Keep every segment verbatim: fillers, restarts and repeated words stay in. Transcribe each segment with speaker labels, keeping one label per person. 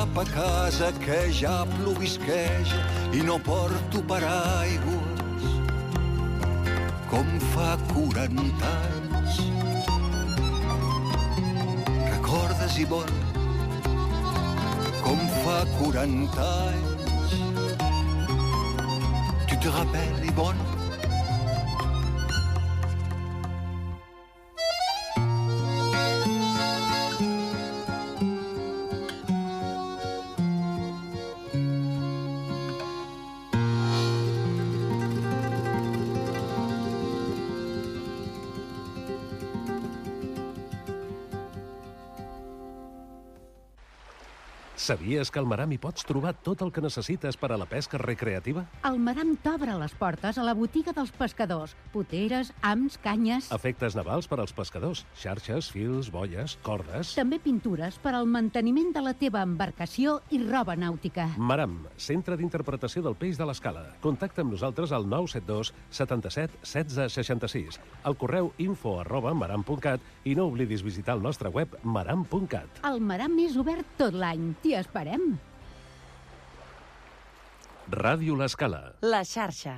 Speaker 1: cap a casa que ja plovisqueja i no porto paraigües com fa quaranta anys. Recordes, Ivonne, com fa quaranta anys. Tu te rappelles, Ivonne?
Speaker 2: Sabies que al Maram hi pots trobar tot el que necessites per a la pesca recreativa?
Speaker 3: El Maram t'obre les portes a la botiga dels pescadors. Poteres, hams, canyes...
Speaker 2: Efectes navals per als pescadors. Xarxes, fils, boies, cordes...
Speaker 3: També pintures per al manteniment de la teva embarcació i roba nàutica.
Speaker 2: Maram, centre d'interpretació del peix de l'Escala. Contacta amb nosaltres al nou set dos setanta-set setze seixanta-sis, al correu info arroba maram punt cat i no oblidis visitar el nostre web maram punt cat.
Speaker 3: El Maram és obert tot l'any. T'hi esperem.
Speaker 2: Ràdio L'Escala.
Speaker 4: La xarxa.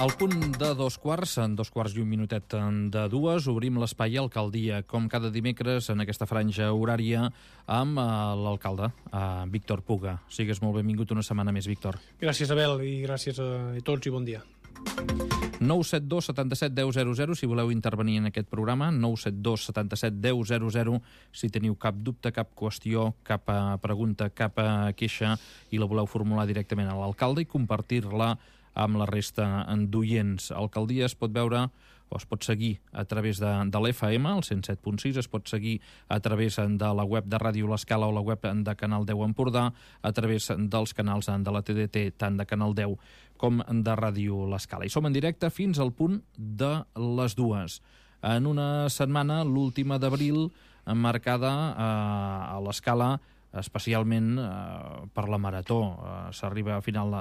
Speaker 5: Al punt de dos quarts, en dos quarts i un minutet de dues, obrim l'espai Alcaldia, com cada dimecres en aquesta franja horària, amb l'alcalde, Víctor Puga. Sigues molt benvingut una setmana més, Víctor.
Speaker 6: Gràcies, Abel, i gràcies a tots i bon dia.
Speaker 5: nou set dos setanta-set deu zero zero si voleu intervenir en aquest programa, nou set dos setanta-set deu zero zero si teniu cap dubte, cap qüestió, cap pregunta, cap queixa i la voleu formular directament a l'alcalde i compartir-la amb la resta d'oients. Alcaldia es pot veure o es pot seguir a través de, de l'F M, el cent set punt sis, es pot seguir a través de la web de Ràdio L'Escala o la web de Canal deu Empordà, a través dels canals de la T D T, tant de Canal deu com de Ràdio L'Escala. I som en directe fins al punt de les dues. En una setmana, l'última d'abril, marcada eh, a l'Escala, especialment eh, per la Marató. Eh, s'arriba a final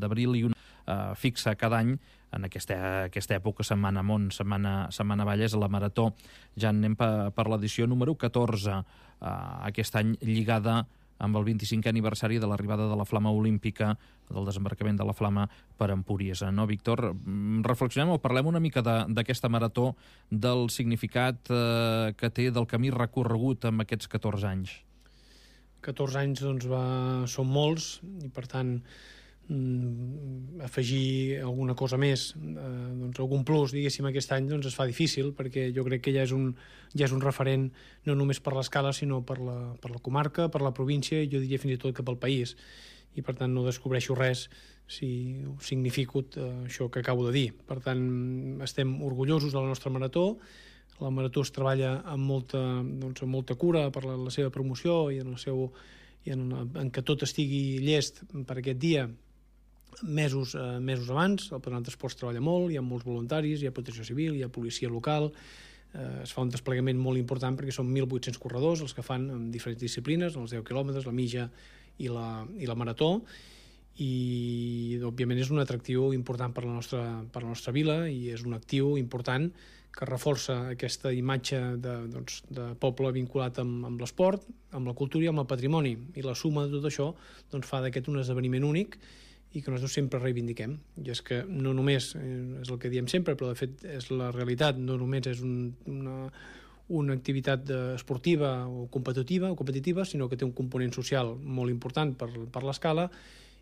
Speaker 5: d'abril i una eh, fixa cada any en aquesta, aquesta època, Setmana Mont, Setmana, Setmana Valles, la Marató. Ja anem per, per l'edició número catorze, eh, aquest any lligada amb el vint-i-cinquè aniversari de l'arribada de la Flama Olímpica, del desembarcament de la Flama per Empúries. No, Víctor? Reflexionem o parlem una mica d'aquesta Marató, del significat eh, que té, del camí recorregut amb aquests catorze anys.
Speaker 6: catorze anys doncs, va... són molts i per tant mm, afegir alguna cosa més, eh, doncs, algun plus diguéssim aquest any doncs, es fa difícil perquè jo crec que ja és un, ja és un referent no només per l'Escala sinó per la, per la comarca, per la província i jo diria fins i tot que pel país i per tant no descobreixo res si significo eh, això que acabo de dir. Per tant estem orgullosos de la nostra Marató. La Marató es treballa amb molta, doncs, amb molta cura per la, la seva promoció i en el seu i en, en que tot estigui llest per aquest dia mesos, eh, mesos abans. El Patronat d'Esports treballa molt, hi ha molts voluntaris, hi ha protecció civil, hi ha policia local, eh, es fa un desplegament molt important perquè són mil vuit-cents corredors els que fan en diferents disciplines, els deu quilòmetres, la mitja i la, i la marató, i òbviament és un atractiu important per la nostra, per la nostra vila i és un actiu important que reforça aquesta imatge de, doncs, de poble vinculat amb, amb l'esport, amb la cultura i amb el patrimoni, i la suma de tot això doncs, fa d'aquest un esdeveniment únic i que nosaltres sempre reivindiquem. I és que no només, eh, és el que diem sempre, però de fet és la realitat, no només és un, una, una activitat esportiva o competitiva, o competitiva, sinó que té un component social molt important per, per l'Escala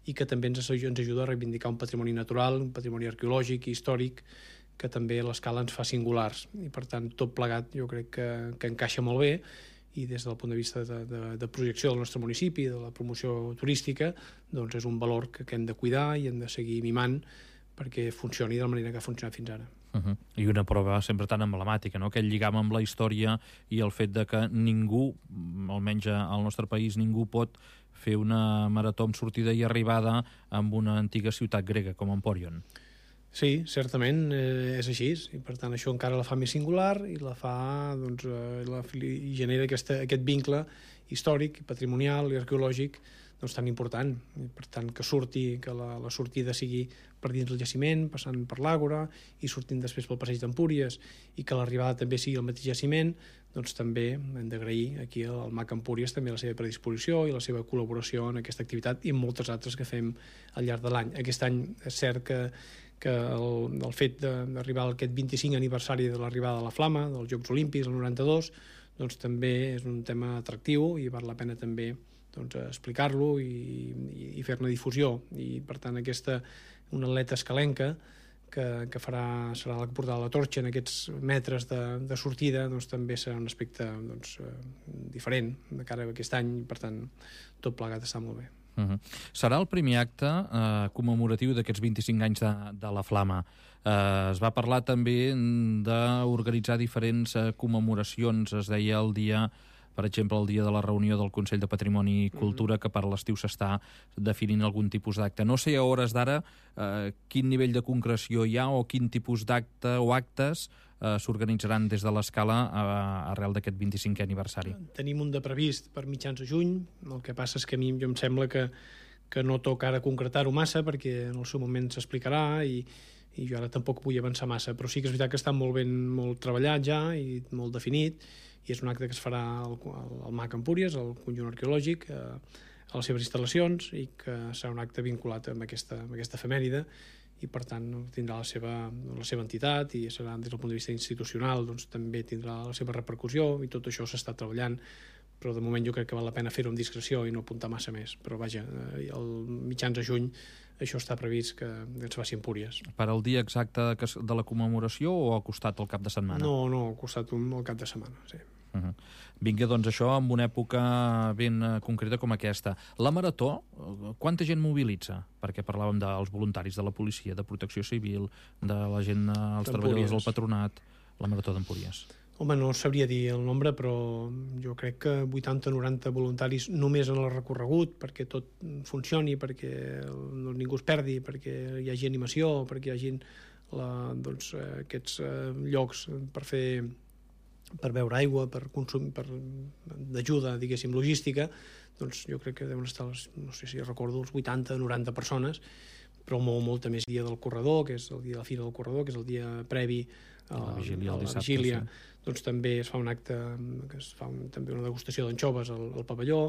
Speaker 6: i que també ens, ens ajuda a reivindicar un patrimoni natural, un patrimoni arqueològic i històric que també l'Escala ens fa singulars i per tant tot plegat jo crec que, que encaixa molt bé i des del punt de vista de, de, de projecció del nostre municipi, de la promoció turística, doncs és un valor que, que hem de cuidar i hem de seguir mimant perquè funcioni de la manera que ha funcionat fins ara.
Speaker 5: Uh-huh. I una prova sempre tan emblemàtica, no? Aquest lligam amb la història i el fet de que ningú, almenys al nostre país, ningú pot fer una marató amb sortida i arribada amb una antiga ciutat grega com Empòrion.
Speaker 6: Sí, certament eh, és així i per tant això encara la fa més singular i la fa, doncs, eh, la, i genera aquesta, aquest vincle històric, patrimonial i arqueològic doncs, tan important. I, per tant, que surti, que la, la sortida sigui per dins del jaciment, passant per l'Àgora i sortint després pel passeig d'Empúries, i que l'arribada també sigui al mateix jaciment, doncs també hem d'agrair aquí al M A C Empúries també la seva predisposició i la seva col·laboració en aquesta activitat i en moltes altres que fem al llarg de l'any. Aquest any és cert que, que el, el fet d'arribar a aquest vint-i-cinc aniversari de l'arribada de la Flama, dels Jocs Olímpics, el noranta-dos, doncs també és un tema atractiu i val la pena també doncs, explicar-lo i, i, i fer-ne difusió. I, per tant, aquesta una atleta escalenca que, que farà, serà la que portarà la torxa en aquests metres de, de sortida, doncs també serà un aspecte doncs, diferent de cara a aquest any i, per tant, tot plegat està molt bé.
Speaker 5: Uh-huh. Serà el primer acte eh, commemoratiu d'aquests vint-i-cinc anys de, de la Flama. Eh, es va parlar també d'organitzar diferents eh, commemoracions. Es deia el dia, per exemple, el dia de la reunió del Consell de Patrimoni i Cultura, que per a l'estiu s'està definint algun tipus d'acte. No sé a hores d'ara eh, quin nivell de concreció hi ha o quin tipus d'acte o actes eh, s'organitzaran des de l'Escala eh, arrel d'aquest vint-i-cinquè aniversari.
Speaker 6: Tenim un de previst per mitjans de juny. El que passa és que a mi jo em sembla que, que no toca ara concretar-ho massa perquè en el seu moment s'explicarà i, i jo ara tampoc vull avançar massa, però sí que és veritat que està molt ben molt treballat ja i molt definit, i és un acte que es farà al, al M A C Empúries, al conjunt arqueològic, eh, a les seves instal·lacions, i que serà un acte vinculat amb aquesta, amb aquesta efemèride, i per tant tindrà la seva, la seva entitat i serà des del punt de vista institucional, doncs també tindrà la seva repercussió, i tot això s'està treballant, però de moment jo crec que val la pena fer-ho amb discreció i no apuntar massa més. Però vaja, el mitjans de juny això està previst que es faci a Empúries.
Speaker 5: Per al dia exacte de la commemoració o al costat al cap de setmana?
Speaker 6: No, no, al costat un, al cap de setmana, sí.
Speaker 5: Uh-huh. Vinga, doncs això en una època ben concreta com aquesta. La Marató, quanta gent mobilitza? Perquè parlàvem dels voluntaris de la policia, de protecció civil, de la gent, els treballadors del patronat, la Marató d'Empúries.
Speaker 6: Home, no sabria dir el nombre, però jo crec que vuitanta o noranta voluntaris només en el recorregut, perquè tot funcioni, perquè no, ningú es perdi, perquè hi hagi animació, perquè hi hagi la, doncs, aquests llocs per fer per beure aigua, per consum, per d'ajuda, diguéssim, logística, doncs jo crec que deuen estar, no sé si recordo, els vuitanta o noranta persones, però molt, molta més dia del corredor, que és el dia de la Fira del Corredor, que és el dia previ a la vigília, a la vigília. Doncs també es fa un acte, que es fa un, també una degustació d'anxoves al, al pavelló.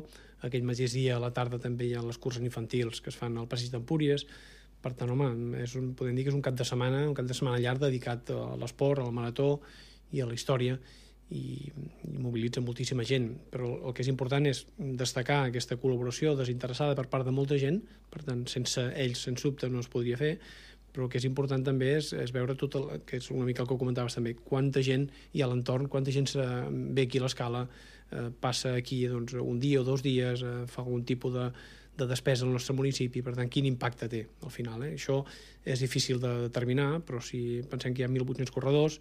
Speaker 6: Aquell mateix dia a la tarda també hi ha les curses infantils que es fan al passeig d'Empúries. Per tant, home, és un, podem dir que és un cap de setmana, un cap de setmana llarg dedicat a l'esport, a la marató i a la història, i, i mobilitza moltíssima gent, però el que és important és destacar aquesta col·laboració desinteressada per part de molta gent, per tant, sense ells, sens dubte, no es podria fer, però el que és important també és, és veure tot el, que és una mica el que comentaves també, quanta gent hi ha a l'entorn, quanta gent se ve aquí a l'Escala, eh, passa aquí doncs, un dia o dos dies, eh, fa algun tipus de, de despesa al nostre municipi, per tant, quin impacte té al final. Eh? Això és difícil de determinar, però si pensem que hi ha mil vuit-cents corredors,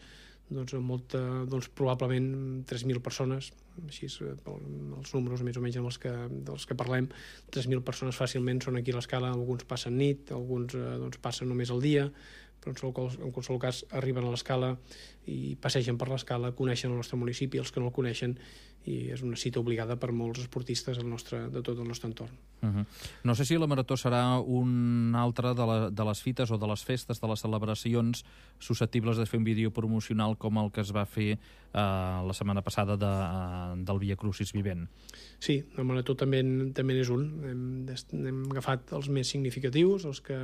Speaker 6: doncs, molta, doncs probablement tres mil persones, així els números més o menys dels que, dels que parlem, tres mil persones fàcilment són aquí a l'Escala, alguns passen nit, alguns doncs, passen només el dia, però en qualsevol cas arriben a l'Escala i passegen per l'Escala, coneixen el nostre municipi, els que no el coneixen, i és una cita obligada per molts esportistes del nostre, de tot el nostre entorn.
Speaker 5: Uh-huh. No sé si la Marató serà una altra de, la, de les fites o de les festes, de les celebracions susceptibles de fer un vídeo promocional com el que es va fer eh, la setmana passada de, del Via Crucis Vivent.
Speaker 6: Sí, la Marató també, també és un. Hem, hem agafat els més significatius, els que,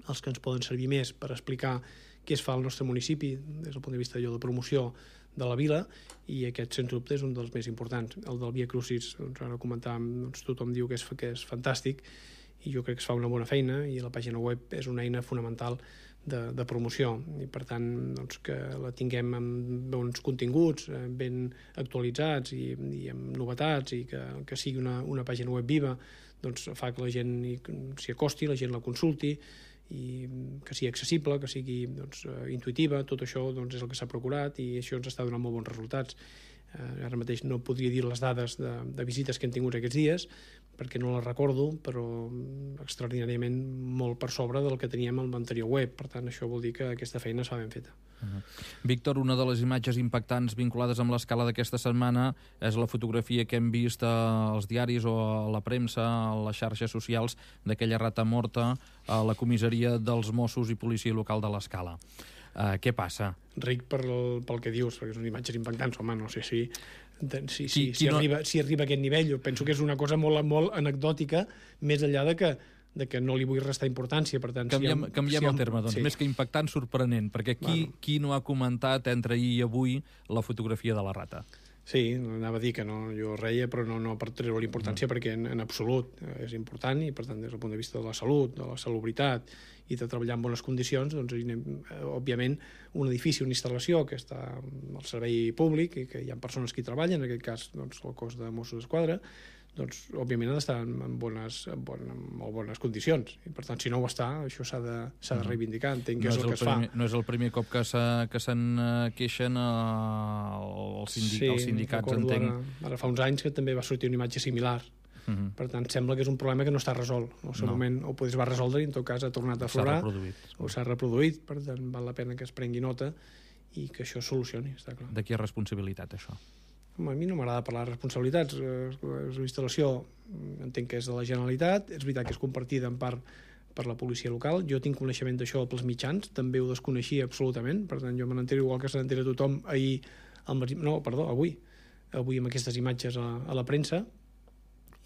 Speaker 6: els que ens poden servir més per explicar què es fa al nostre municipi des del punt de vista de promoció de la vila, i aquest, sens dubte, és un dels més importants. El del Via Crucis, doncs, ara comentàvem, doncs, tothom diu que és, que és fantàstic, i jo crec que es fa una bona feina, i la pàgina web és una eina fonamental de, de promoció, i per tant doncs, que la tinguem amb bons continguts, ben actualitzats i, i amb novetats, i que, que sigui una, una pàgina web viva, doncs fa que la gent s'hi acosti, la gent la consulti, i que sigui accessible, que sigui doncs, intuïtiva. Tot això doncs, és el que s'ha procurat, i això ens està donant molt bons resultats. Eh, ara mateix no podria dir les dades de, de visites que hem tingut aquests dies, perquè no la recordo, però extraordinàriament molt per sobre del que teníem en l'anterior web. Per tant, això vol dir que aquesta feina s'ha ben feta.
Speaker 5: Uh-huh. Víctor, una de les imatges impactants vinculades amb l'escala d'aquesta setmana és la fotografia que hem vist als diaris o a la premsa, a les xarxes socials, d'aquella rata morta a la comissaria dels Mossos i Policia Local de l'Escala. Uh, què passa?
Speaker 6: Ric per el, pel que dius, perquè són imatges impactants, home, no sé si... Si, si,
Speaker 5: qui, qui
Speaker 6: si,
Speaker 5: no...
Speaker 6: arriba, si arriba a aquest nivell, jo penso que és una cosa molt, molt anecdòtica, més enllà de que, de que no li vull restar importància. Per tant,
Speaker 5: canviem
Speaker 6: si ha,
Speaker 5: canviem
Speaker 6: si ha,
Speaker 5: el terme, doncs, sí. Més que impactant, sorprenent, perquè qui, bueno. qui no ha comentat entre ahir i avui la fotografia de la rata?
Speaker 6: Sí, anava a dir que no, jo reia, però no, no per treure l'importància, mm. perquè en, en absolut és important, i per tant, des del punt de vista de la salut, de la salubritat i de treballar en bones condicions, doncs, òbviament, un edifici, una instal·lació que està al servei públic i que hi ha persones que hi treballen, en aquest cas doncs, el cos de Mossos d'Esquadra, doncs, òbviament, ha d'estar en, bones, en, bon, en molt bones condicions. I, per tant, si no ho està, això s'ha de, s'ha de reivindicar. Entenc que no és el, el que es
Speaker 5: primer,
Speaker 6: fa.
Speaker 5: No és el primer cop que, que se'n queixen uh, els, sindic,
Speaker 6: sí,
Speaker 5: els sindicats,
Speaker 6: entenc.
Speaker 5: Ara,
Speaker 6: ara fa uns anys que també va sortir una imatge similar. Uh-huh. Per tant, sembla que és un problema que no està resolt. En el seu no. moment o es va resoldre i en tot cas ha tornat a aflorar, o s'ha reproduït. Per tant, val la pena que es prengui nota i que això es solucioni, està clar.
Speaker 5: De qui és responsabilitat, això?
Speaker 6: Home, a mi no m'agrada parlar de responsabilitats. La instal·lació entenc que és de la Generalitat, és veritat que és compartida en part per la policia local. Jo tinc coneixement d'això pels mitjans, també ho desconeixia absolutament, per tant jo me n'entero igual que se n'entera tothom ahir, al matí, no, perdó, avui, avui amb aquestes imatges a, a la premsa,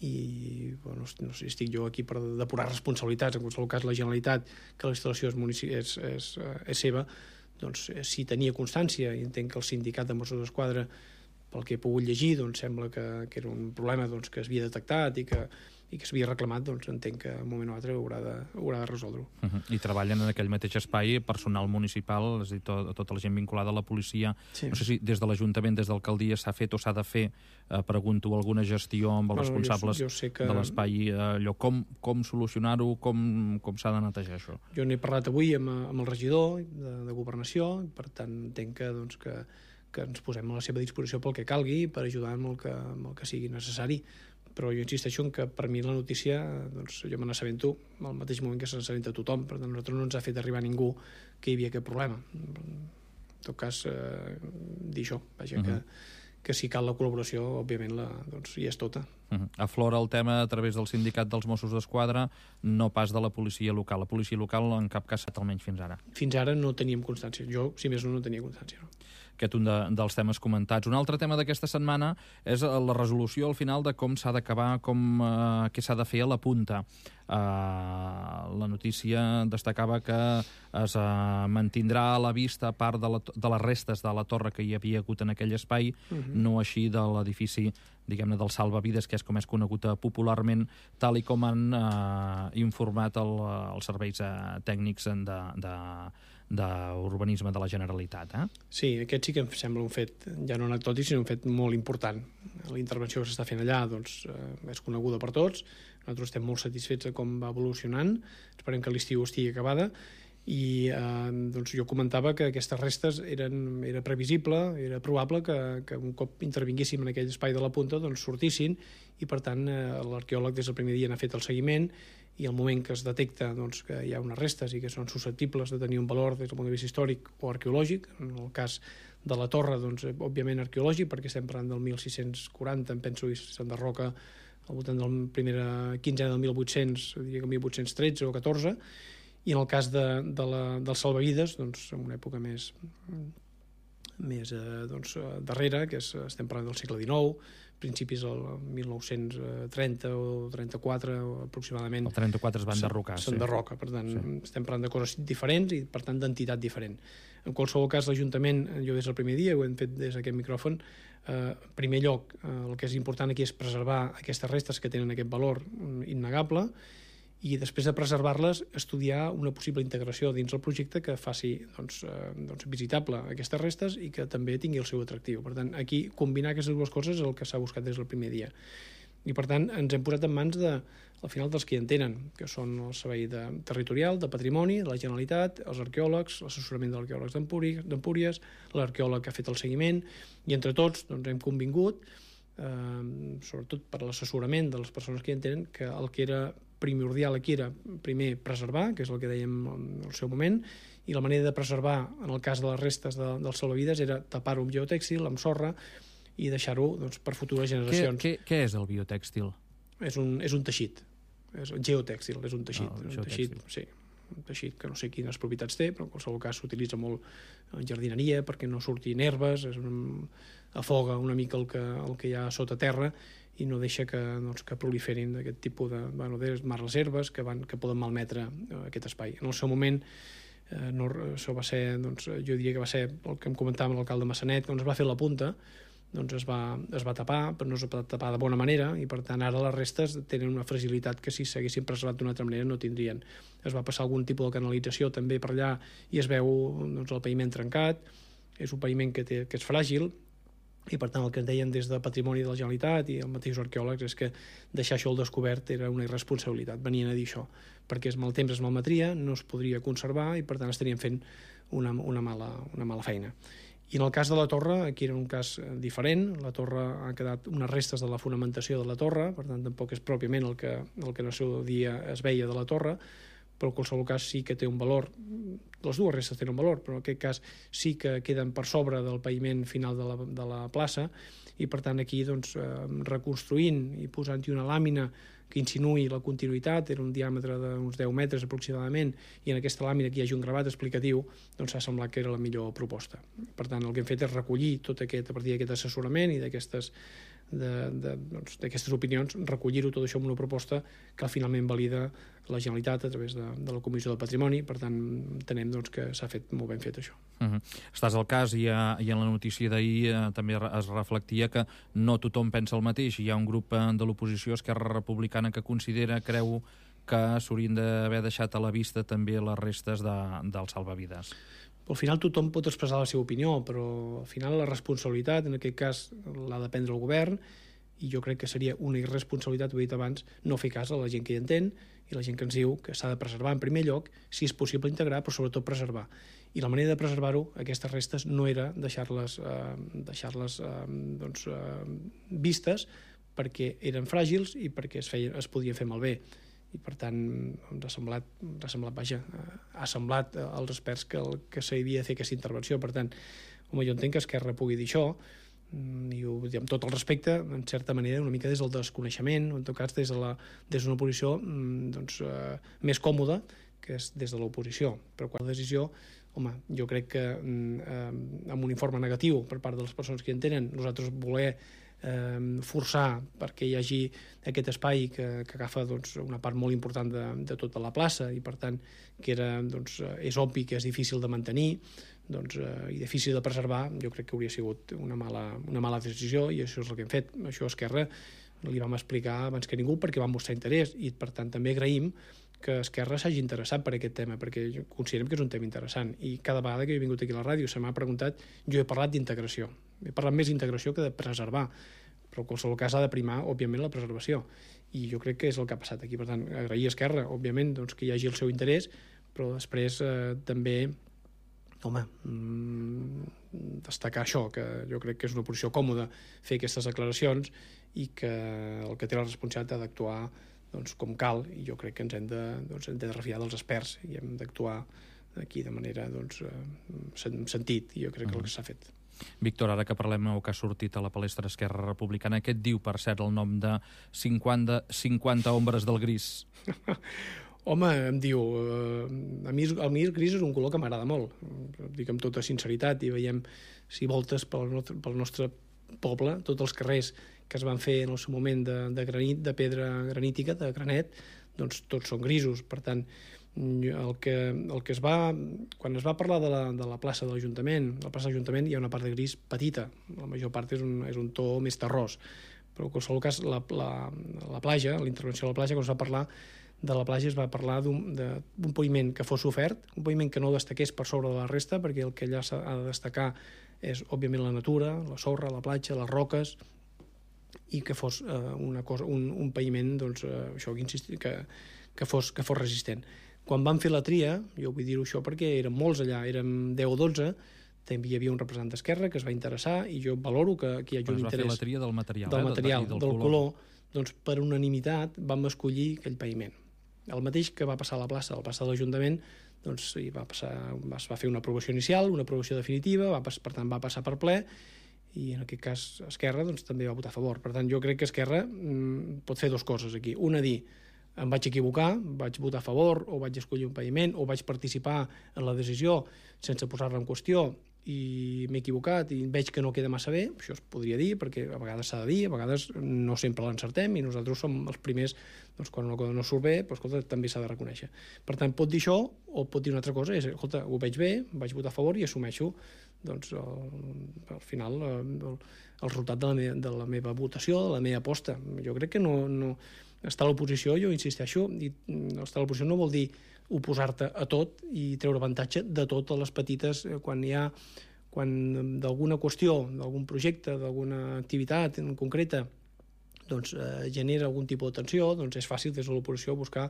Speaker 6: i bueno, no sé, estic jo aquí per depurar responsabilitats. En qualsevol cas, la Generalitat, que la instal·lació és, munici- és, és, és seva, doncs si tenia constància, i entenc que el sindicat de Mossos d'Esquadra, pel que he pogut llegir, doncs sembla que, que era un problema doncs, que es havia detectat i que, i que s'havia reclamat, doncs entenc que en un moment o altre haurà de, haurà de resoldre-ho.
Speaker 5: Uh-huh. I treballen en aquell mateix espai personal municipal, és a dir, to, tota la gent vinculada a la policia. Sí. No sé si des de l'Ajuntament, des d'alcaldia, s'ha fet o s'ha de fer, eh, pregunto, alguna gestió amb els bueno, responsables
Speaker 6: jo, jo sé que...
Speaker 5: de l'espai, eh, allò, com, com solucionar-ho, com, com s'ha de netejar això?
Speaker 6: Jo n'he parlat avui amb, amb el regidor de, de Governació, per tant entenc que, doncs, que, que ens posem a la seva disposició pel que calgui, per ajudar amb el que, amb el que sigui necessari. Però jo insisteixo en que per mi la notícia, doncs jo me n'assabento al mateix moment que se n'assabenta tothom. Per tant, a nosaltres no ens ha fet arribar ningú que hi havia aquest problema. En tot cas, eh, dir això, vaja, uh-huh. que, que si cal la col·laboració, òbviament, la, doncs, hi és tota.
Speaker 5: Uh-huh. Aflora el tema a través del sindicat dels Mossos d'Esquadra, no pas de la policia local. La policia local en cap cas, almenys fins ara.
Speaker 6: Fins ara no teníem constància. Jo, si més no, no tenia constància, no.
Speaker 5: Aquest un de, dels temes comentats. Un altre tema d'aquesta setmana és la resolució al final de com s'ha d'acabar, com eh, què s'ha de fer a la punta. Eh, la notícia destacava que es eh, mantindrà a la vista part de, la, de les restes de la torre que hi havia hagut en aquell espai, uh-huh. no així de l'edifici, diguem-ne, del salvavides, que és com és conegut popularment, tal i com han eh, informat el, els serveis eh, tècnics de, de, d'urbanisme de la Generalitat. Eh?
Speaker 6: Sí, aquest sí que em sembla un fet, ja no anecdòtic, sinó un fet molt important. La intervenció que s'està fent allà doncs, eh, és coneguda per tots, nosaltres estem molt satisfets de com va evolucionant, esperem que l'estiu estigui acabada, i eh, doncs jo comentava que aquestes restes eren, era previsible, era probable que, que un cop intervinguéssim en aquell espai de la punta doncs sortissin, i per tant eh, l'arqueòleg des del primer dia n'ha fet el seguiment, i al moment que es detecta doncs, que hi ha unes restes i que són susceptibles de tenir un valor des del punt de vista històric o arqueològic, en el cas de la torre, doncs, òbviament arqueològic, perquè estem parlant del mil sis-cents quaranta, em penso, i s'enderroca al voltant de la primera quinzena del mil vuit-cents, diria que mil vuit-cents tretze o catorze, i en el cas de, de la, dels salvavides, doncs, en una època més, més eh, doncs, darrere, que és, estem parlant del segle dinou, principis del mil nou-cents trenta o trenta-quatre aproximadament.
Speaker 5: El trenta-quatre es van enderrocar.
Speaker 6: S'enderroca, sí. Per tant, sí. Estem parlant de coses diferents i, per tant, d'entitat diferent. En qualsevol cas, l'Ajuntament, jo des del primer dia, ho hem fet des d'aquest micròfon, eh, en primer lloc, eh, el que és important aquí és preservar aquestes restes que tenen aquest valor innegable, i després de preservar-les, estudiar una possible integració dins el projecte que faci doncs, eh, doncs, visitable aquestes restes i que també tingui el seu atractiu. Per tant, aquí combinar aquestes dues coses és el que s'ha buscat des del primer dia. I per tant, ens hem posat en mans de, al final dels que hi entenen, que són el servei de, territorial, de patrimoni, de la Generalitat, els arqueòlegs, l'assessorament d'arqueòlegs d'Empúries, l'arqueòleg que ha fet el seguiment, i entre tots doncs, hem convingut eh, sobretot per l'assessorament de les persones que hi entenen, que el que era primordial aquí era, primer, preservar, que és el que dèiem al seu moment, i la manera de preservar, en el cas de les restes de, dels salvavides, era tapar-ho amb geotèxtil, amb sorra, i deixar-ho doncs, per futures generacions.
Speaker 5: Què, què, què és el biotèxtil?
Speaker 6: És un, és un teixit. És geotèxtil, és un teixit.
Speaker 5: Oh,
Speaker 6: és un teixit, sí, un teixit que no sé quines propietats té, però en qualsevol cas s'utilitza molt en jardineria perquè no surtin herbes, és un, afoga una mica el que, el que hi ha sota terra i no deixa que, doncs, que proliferin d'aquest tipus de, bueno, de les herbes que, van, que poden malmetre aquest espai. En el seu moment, eh, no, això va ser, doncs, jo diria que va ser el que em comentava l'alcalde Massanet, quan es va fer la punta, doncs es va, es va tapar, però no es va tapar de bona manera, i per tant ara les restes tenen una fragilitat que si s'haguessin preservat d'una altra manera no tindrien. Es va passar algun tipus de canalització també per allà i es veu doncs, el paviment trencat, és un paviment que, té, que és fràgil, i per tant el que ens deien des de Patrimoni de la Generalitat i els mateixos arqueòlegs és que deixar això al descobert era una irresponsabilitat, venien a dir això, perquè el temps es malmetria, no es podria conservar i per tant estaríem fent una, una, mala, una mala feina. I en el cas de la torre, aquí era un cas diferent, la torre ha quedat unes restes de la fonamentació de la torre, per tant tampoc és pròpiament el que, el que en el seu dia es veia de la torre, però en qualsevol cas sí que té un valor, les dues restes tenen un valor, però en aquest cas sí que queden per sobre del paviment final de la, de la plaça, i per tant aquí doncs, reconstruint i posant-hi una làmina que insinuï la continuïtat, era un diàmetre d'uns deu metres aproximadament, i en aquesta làmina que hi hagi un gravat explicatiu, doncs s'ha semblat que era la millor proposta. Per tant, el que hem fet és recollir tot aquest, a partir d'aquest assessorament i d'aquestes de, de, doncs, d'aquestes opinions, recollir-ho tot això amb una proposta que finalment valida la Generalitat a través de, de la Comissió del Patrimoni. Per tant, entenem doncs, que s'ha fet molt ben fet això.
Speaker 5: Uh-huh. Estàs al cas i, a, i en la notícia d'ahir eh, també es reflectia que no tothom pensa el mateix. Hi ha un grup eh, de l'oposició, Esquerra Republicana, que considera, creu, que s'haurien d'haver deixat a la vista també les restes de, dels salvavides.
Speaker 6: Al final tothom pot expressar la seva opinió, però al final la responsabilitat, en aquest cas, l'ha de prendre el govern, i jo crec que seria una irresponsabilitat, ho he dit abans, no fer cas a la gent que hi entén i la gent que ens diu que s'ha de preservar en primer lloc, si és possible integrar, però sobretot preservar. I la manera de preservar-ho, aquestes restes, no era deixar-les eh, deixar-les eh, doncs, eh, vistes, perquè eren fràgils i perquè es, feien, es podien fer malbé. I per tant ens ha semblat, ens ha semblat vaja, ha semblat als experts que, el, que s'havia de fer aquesta intervenció. Per tant, home, jo entenc que Esquerra pugui dir això, i ho dic amb tot el respecte, en certa manera una mica des del desconeixement, o en tot cas des de la, des d'una posició doncs, eh, més còmoda, que és des de l'oposició. Però quan la decisió, home, jo crec que eh, amb un informe negatiu per part de les persones que hi entenen, nosaltres voler Eh, forçar perquè hi hagi aquest espai que, que agafa doncs, una part molt important de, de tota la plaça i per tant que era, doncs, és obvi que és difícil de mantenir doncs, eh, i difícil de preservar, jo crec que hauria sigut una mala, una mala decisió i això és el que hem fet. Això a Esquerra li vam explicar abans que ningú perquè vam mostrar interès i per tant també agraïm que Esquerra s'hagi interessat per aquest tema, perquè considerem que és un tema interessant i cada vegada que he vingut aquí a la ràdio se m'ha preguntat, jo he parlat d'integració, he parlat més d'integració que de preservar, però en qualsevol cas ha de primar, òbviament, la preservació, i jo crec que és el que ha passat aquí. Per tant, agrair a Esquerra, òbviament, doncs, que hi hagi el seu interès, però després eh, també, home, mmm, destacar això, que jo crec que és una posició còmoda fer aquestes declaracions i que el que té la responsabilitat ha d'actuar doncs, com cal, i jo crec que ens hem de, doncs, hem de refiar dels experts i hem d'actuar aquí de manera doncs, sentit, i jo crec que el que s'ha fet.
Speaker 5: Víctor, ara que parlem o que ha sortit a la palestra Esquerra Republicana, què et diu, per cert, el nom de cinquanta, cinquanta ombres del gris?
Speaker 6: Home, em diu... Eh, a mi, el mi el gris és un color que m'agrada molt, dic amb tota sinceritat, i veiem si voltes pel nostre, pel nostre poble, tots els carrers que es van fer en el seu moment de, de granit, de pedra granítica, de granet, doncs tots són grisos. Per tant, el que, el que es va... Quan es va parlar de la, de la plaça de l'Ajuntament, la plaça de l'Ajuntament hi ha una part de gris petita, la major part és un, és un to més terrós, però en qualsevol cas la, la, la platja, la intervenció de la platja, quan es va parlar de la platja es va parlar d'un paviment que fos ofert, un paviment que no destaqués per sobre de la resta, perquè el que allà s'ha de destacar és, òbviament, la natura, la sorra, la platja, les roques, i que fos eh, una cosa, un, un paviment doncs, eh, això, que, insistir, que, que, fos, que fos resistent. Quan vam fer la tria, jo vull dir-ho això perquè érem molts allà, érem deu o dotze, també hi havia un representant d'Esquerra que es va interessar i jo valoro que, que hi hagi un interès...
Speaker 5: Es va fer la tria del material,
Speaker 6: del,
Speaker 5: eh?
Speaker 6: material,
Speaker 5: del,
Speaker 6: del, del color. color. Doncs per unanimitat vam escollir aquell paviment. El mateix que va passar a la plaça, a la plaça de l'Ajuntament, doncs hi va passar, es va fer una aprovació inicial, una aprovació definitiva, va, per tant va passar per ple, i en aquest cas Esquerra doncs, també va votar a favor. Per tant, jo crec que Esquerra mm, pot fer dues coses aquí. Una, dir, em vaig equivocar, vaig votar a favor, o vaig escollir un paviment, o vaig participar en la decisió sense posar-la en qüestió, i m'he equivocat i veig que no queda massa bé, això es podria dir, perquè a vegades s'ha de dir, a vegades no sempre l'encertem, i nosaltres som els primers, doncs, quan una cosa no surt bé, però, escolta, també s'ha de reconèixer. Per tant, pot dir això, o pot dir una altra cosa, és, escolta, ho veig bé, vaig votar a favor i assumeixo, doncs, el, al final, el, el resultat de la, meva, de la meva votació, de la meva aposta. Jo crec que no... no estar a l'oposició, jo insisteixo, i estar a l'oposició no vol dir oposar-te a tot i treure avantatge de totes les petites, quan hi ha quan d'alguna qüestió, d'algun projecte, d'alguna activitat en concreta, doncs eh, genera algun tipus de tensió, doncs és fàcil des de l'oposició buscar,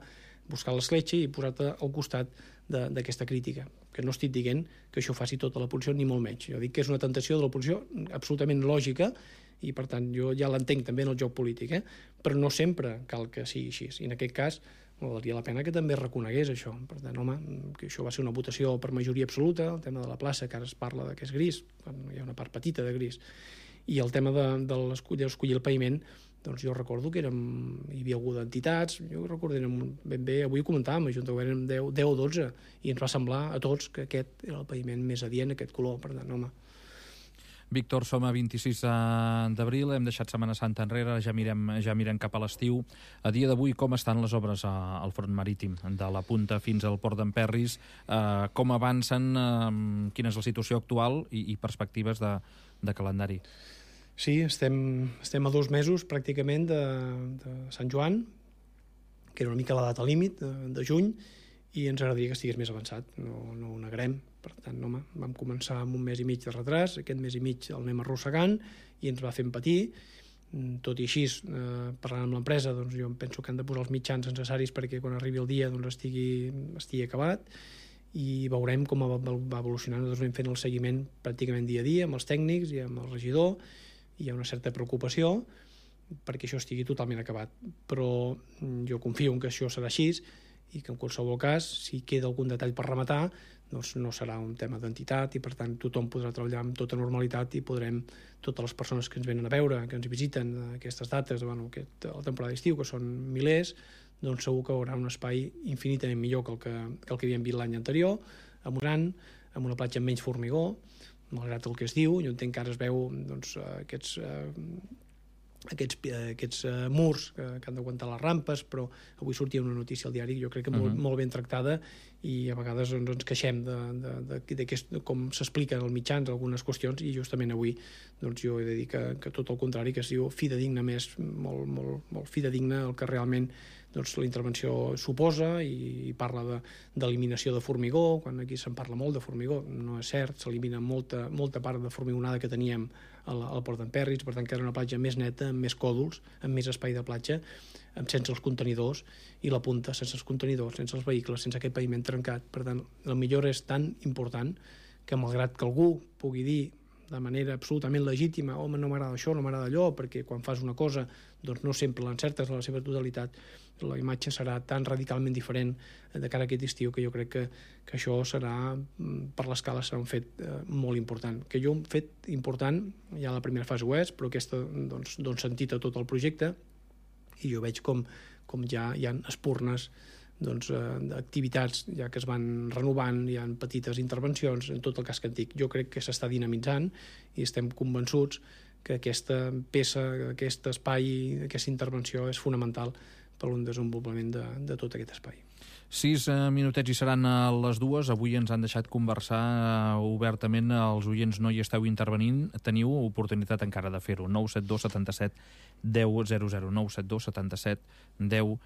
Speaker 6: buscar l'escletxa i posar-te al costat d'aquesta crítica. Que no estic dient que això faci tota l'oposició, ni molt menys. Jo dic que és una tentació de l'oposició absolutament lògica, i per tant jo ja l'entenc també en el joc polític, eh? Però no sempre cal que sigui així, i en aquest cas valdria la pena que també reconegués això. Per tant, home, que això va ser una votació per majoria absoluta, el tema de la plaça, que ara es parla de que és gris, hi ha una part petita de gris, i el tema de, de l'escollir el paviment, doncs jo recordo que érem, hi havia hagut entitats, jo recordo que érem ben bé, avui ho comentàvem, a Junta érem deu o dotze, i ens va semblar a tots que aquest era el paviment més adient, aquest color, per tant, home.
Speaker 5: Víctor, som a vint-i-sis d'abril, hem deixat Setmana Santa enrere, ja mirem, ja mirem cap a l'estiu. A dia d'avui, com estan les obres a, al front marítim, de la Punta fins al Port d'Emperris? Eh, com avancen? Eh, quina és la situació actual i, i perspectives de, de calendari?
Speaker 6: Sí, estem, estem a dos mesos pràcticament de, de Sant Joan, que era una mica la data límit de, de juny, i ens agradaria que estigués més avançat, no, no ho negarem. Per tant, home, vam començar amb un mes i mig de retras, aquest mes i mig el anem arrossegant i ens va fent patir. Tot i així, eh, parlant amb l'empresa, doncs jo penso que han de posar els mitjans necessaris perquè quan arribi el dia doncs, estigui, estigui acabat, i veurem com va, va evolucionant. Nosaltres anem fent el seguiment pràcticament dia a dia amb els tècnics i amb el regidor, i hi ha una certa preocupació perquè això estigui totalment acabat. Però jo confio en que això serà així, i que en qualsevol cas, si queda algun detall per rematar, doncs no serà un tema d'entitat, i per tant tothom podrà treballar amb tota normalitat i podrem, totes les persones que ens venen a veure, que ens visiten aquestes dates, bueno, aquest, la temporada d'estiu, que són milers, doncs segur que hi haurà un espai infinitament millor que el que, que, el que havíem vist l'any anterior, amb un gran, amb una platja amb menys formigó, malgrat el que es diu. Jo entenc que ara es veu doncs, aquests... Eh, aquests, aquests uh, murs que, que han d'aguantar les rampes, però avui sortia una notícia al diari, jo crec que molt, uh -huh. molt ben tractada, i a vegades doncs, ens queixem de, de, de, de, de, de com s'expliquen als mitjans algunes qüestions, i justament avui doncs, jo he de dir que, que tot el contrari, que es diu fidedigna més, molt, molt, molt fidedigna el que realment doncs, la intervenció suposa, i, i parla d'eliminació de, de formigó, quan aquí se'n parla molt de formigó, no és cert, s'elimina molta, molta part de formigonada que teníem al, al Port d'Emperris, per tant que era una platja més neta, amb més còdols, amb més espai de platja, amb, sense els contenidors, i la Punta sense els contenidors, sense els vehicles, sense aquest paviment trencat. Per tant, la millora és tan important que, malgrat que algú pugui dir de manera absolutament legítima, home, no m'agrada això, no m'agrada allò, perquè quan fas una cosa doncs no sempre l'encertes en la seva totalitat, la imatge serà tan radicalment diferent de cara a aquest estiu que jo crec que, que això serà, per l'escala, serà un fet eh, molt important. Que jo un fet important, ja la primera fase ho és, però aquesta doncs, dona sentit a tot el projecte, i jo veig com, com ja hi ha espurnes doncs, eh, d'activitats ja que es van renovant, hi ha petites intervencions en tot el casc antic. Jo crec que s'està dinamitzant i estem convençuts que aquesta peça, aquest espai, aquesta intervenció és fonamental per a un desenvolupament de, de tot aquest espai.
Speaker 5: Sis eh, minutets i seran a les dues. Avui ens han deixat conversar eh, obertament. Els oients no hi esteu intervenint. Teniu oportunitat encara de fer-ho. nou set dos setanta set deu zero zero. nou set dos setanta set deu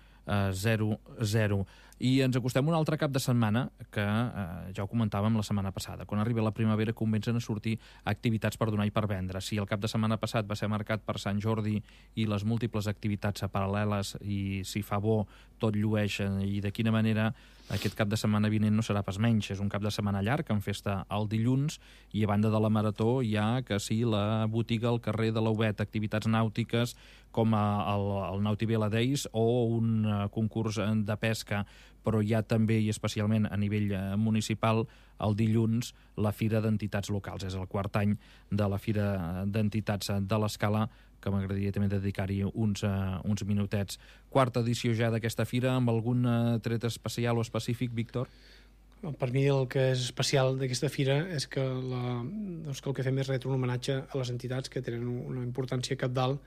Speaker 5: zero zero. I ens acostem un altre cap de setmana que eh, ja ho comentàvem la setmana passada. Quan arriba la primavera comencen a sortir activitats per donar i per vendre. Si el cap de setmana passat va ser marcat per Sant Jordi i les múltiples activitats paral·leles i si fa bo tot llueix i de quina manera, aquest cap de setmana vinent no serà pas menys. És un cap de setmana llarg amb festa el dilluns i a banda de la marató hi ha que sí la botiga al carrer de l'Aubet, activitats nàutiques com el, el Nautivela Days o un uh, concurs de pesca, però hi ha també i especialment a nivell uh, municipal el dilluns la Fira d'Entitats Locals. És el quart any de la Fira d'Entitats de l'Escala, que m'agradaria també dedicar-hi uns, uh, uns minutets. Quarta edició ja d'aquesta fira, amb algun uh, tret especial o específic, Víctor?
Speaker 6: Per mi el que és especial d'aquesta fira és que, la, doncs que el que fem és retre un homenatge a les entitats que tenen una importància cabdal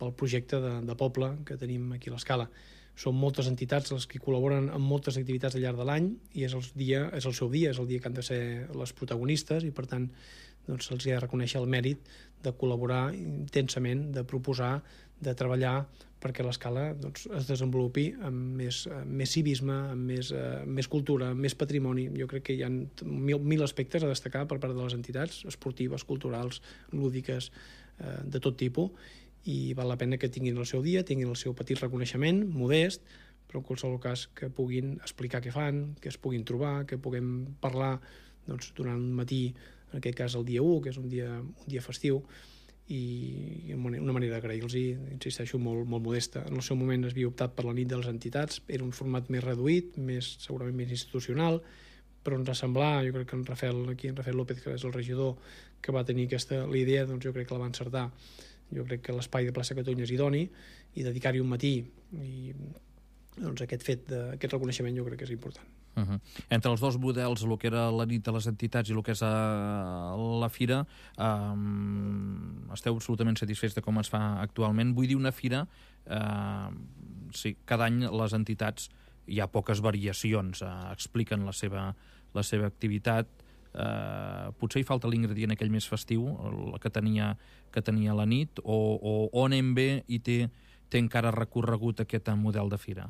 Speaker 6: pel projecte de, de poble que tenim aquí a l'Escala. Són moltes entitats les que col·laboren amb moltes activitats al llarg de l'any i és el, dia, és el seu dia, és el dia que han de ser les protagonistes i per tant doncs, se'ls ha de reconèixer el mèrit de col·laborar intensament, de proposar, de treballar perquè l'Escala doncs, es desenvolupi amb més, amb més civisme, amb més, uh, més cultura, amb més patrimoni. Jo crec que hi ha mil, mil aspectes a destacar per part de les entitats esportives, culturals, lúdiques, uh, de tot tipus, i val la pena que tinguin el seu dia, tinguin el seu petit reconeixement, modest, però en qualsevol cas que puguin explicar què fan, que es puguin trobar, que puguem parlar doncs, durant un matí, en aquest cas el dia u, que és un dia, un dia festiu, i una manera d'agrair-los, insisteixo, molt, molt modesta. En el seu moment es havia optat per la nit de les entitats, era un format més reduït, més, segurament més institucional, però ens ha semblat, jo crec que en Rafael, aquí en Rafael López, que és el regidor que va tenir aquesta, la idea, doncs jo crec que la va encertar. Jo crec que l'espai de plaça Catalunya és idoni i dedicar-hi un matí i doncs aquest fet, de, aquest reconeixement jo crec que és important.
Speaker 5: Uh -huh. Entre els dos models, el que era la nit de les entitats i el que és a la fira, um, esteu absolutament satisfets de com es fa actualment. Vull dir, una fira, uh, sí, cada any les entitats hi ha poques variacions, uh, expliquen la seva, la seva activitat. Uh, potser hi falta l'ingredient aquell més festiu, el que tenia, que tenia la nit, o, o on anem bé i té, té encara recorregut aquest model de fira?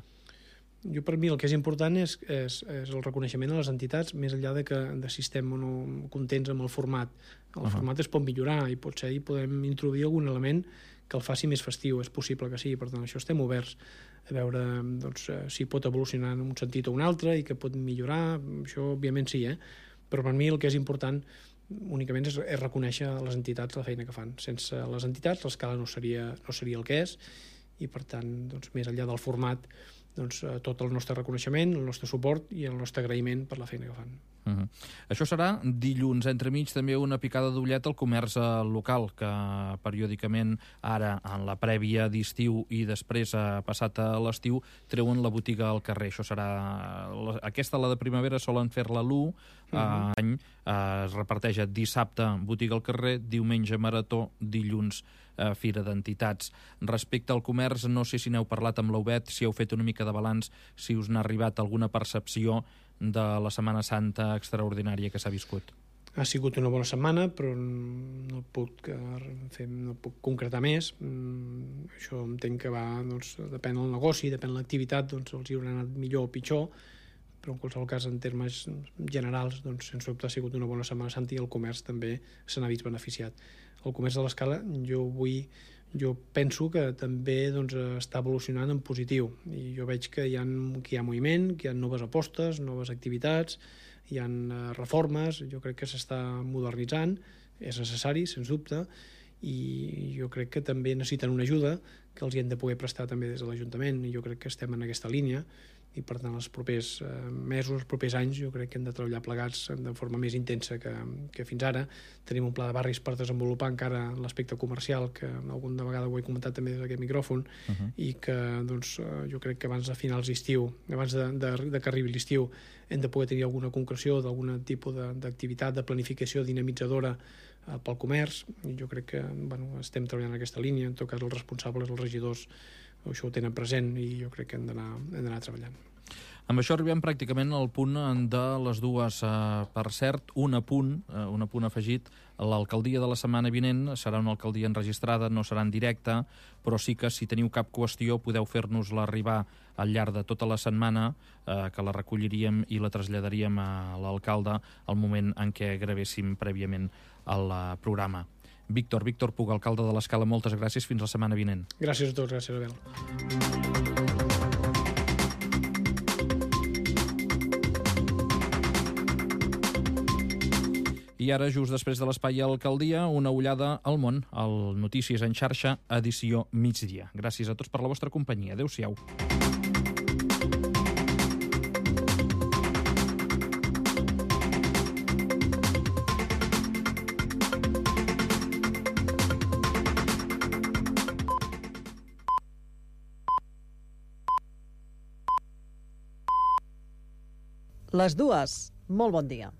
Speaker 6: Jo, per mi, el que és important és, és, és el reconeixement a les entitats, més enllà de que de si estem o no contents amb el format. El uh -huh. format es pot millorar i potser hi podem introduir algun element que el faci més festiu, és possible que sí, per tant, això estem oberts a veure doncs, si pot evolucionar en un sentit o un altre i que pot millorar, això òbviament sí, eh? Però per mi el que és important únicament és, és reconèixer a les entitats la feina que fan. Sense les entitats l'Escala no seria, no seria el que és i per tant, doncs, més enllà del format, doncs, tot el nostre reconeixement, el nostre suport i el nostre agraïment per la feina que fan.
Speaker 5: Uh -huh. Això serà dilluns. Entremig també una picada d'ullet al comerç local, que periòdicament ara, en la prèvia d'estiu i després ha passat a l'estiu, treuen la botiga al carrer. Això serà... Aquesta, la de primavera, solen fer-la l'u, uh -huh. any eh, es reparteix dissabte botiga al carrer, diumenge marató, dilluns eh, fira d'entitats. Respecte al comerç, no sé si n'heu parlat amb l'Aubet, si heu fet una mica de balanç, si us n'ha arribat alguna percepció de la Setmana Santa extraordinària que s'ha viscut.
Speaker 6: Ha sigut una bona setmana, però no puc, fer, no puc concretar més. Mm, això entenc que va, doncs, depèn del negoci, depèn de l'activitat, doncs els hi haurà anat millor o pitjor, però en qualsevol cas, en termes generals, doncs, sense dubte ha sigut una bona Setmana Santa i el comerç també se n'ha vist beneficiat. El comerç de l'Escala, jo vull jo penso que també doncs, està evolucionant en positiu i jo veig que hi ha, que hi ha moviment, que hi ha noves apostes, noves activitats, hi ha uh, reformes, jo crec que s'està modernitzant, és necessari, sens dubte, i jo crec que també necessiten una ajuda que els hi hem de poder prestar també des de l'Ajuntament i jo crec que estem en aquesta línia i per tant els propers eh, mesos, els propers anys jo crec que hem de treballar plegats de forma més intensa que, que fins ara. Tenim un pla de barris per desenvolupar encara l'aspecte comercial que alguna vegada ho he comentat també des d'aquest micròfon uh -huh. i que doncs, jo crec que abans de finals d'estiu, abans de, de, de que arribi l'estiu hem de poder tenir alguna concreció d'algun tipus d'activitat, de, de planificació dinamitzadora eh, pel comerç i jo crec que bueno, estem treballant en aquesta línia, en tot cas els responsables, els regidors això ho tenen present i jo crec que hem d'anar treballant.
Speaker 5: Amb això arribem pràcticament al punt de les dues. Per cert, un apunt, un apunt afegit, l'alcaldia de la setmana vinent serà una alcaldia enregistrada, no serà en directe, però sí que si teniu cap qüestió podeu fer-nos-la arribar al llarg de tota la setmana, eh, que la recolliríem i la traslladaríem a l'alcalde al moment en què gravéssim prèviament el programa. Víctor, Víctor Puig, alcalde de l'Escala, moltes gràcies. Fins la setmana vinent.
Speaker 6: Gràcies a tots, gràcies, Abel.
Speaker 5: I ara, just després de l'Espai Alcaldia, una ullada al món, al Notícies en xarxa, edició migdia. Gràcies a tots per la vostra companyia. Adéu-siau.
Speaker 4: Les dues. Molt bon dia.